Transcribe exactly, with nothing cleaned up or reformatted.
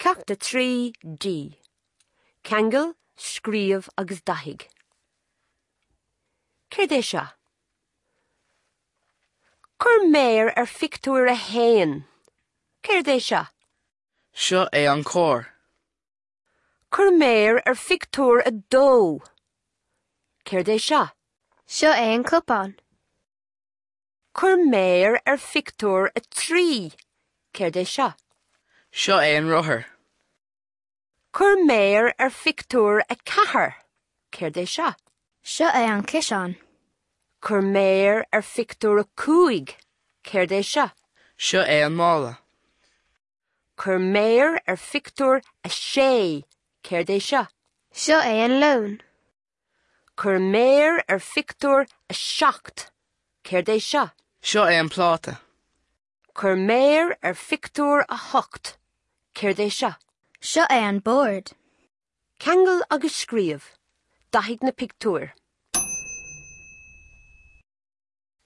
Ceacht a trí D. Ceangail, scríobh agus dathaigh. Céard é seo? Cuir méar ar phictiúr a haon. Céard é seo? Seo é an carr. Cuir méar ar phictiúr a dó. Céard é seo? Seo é an cupán. Cuir méar ar phictiúr a trí. Céard é seo? Seo é an rothar. Cuir méar ar phictiúr a ceathair. Céard é seo? Seo é an ciseán. Cuir méar ar phictiúr a cúig. Céard é seo? Seo é an mála. Cuir méar ar phictiúr a sé. Céard é seo? Seo é an leon. Cuir méar ar phictiúr a seacht. Céard é seo? Seo é an pláta. Cuir méar ar phictiúr a hocht. Céard é seo? Seo é an bord. Ceangail agus scríobh. Dathaigh na pictiúir.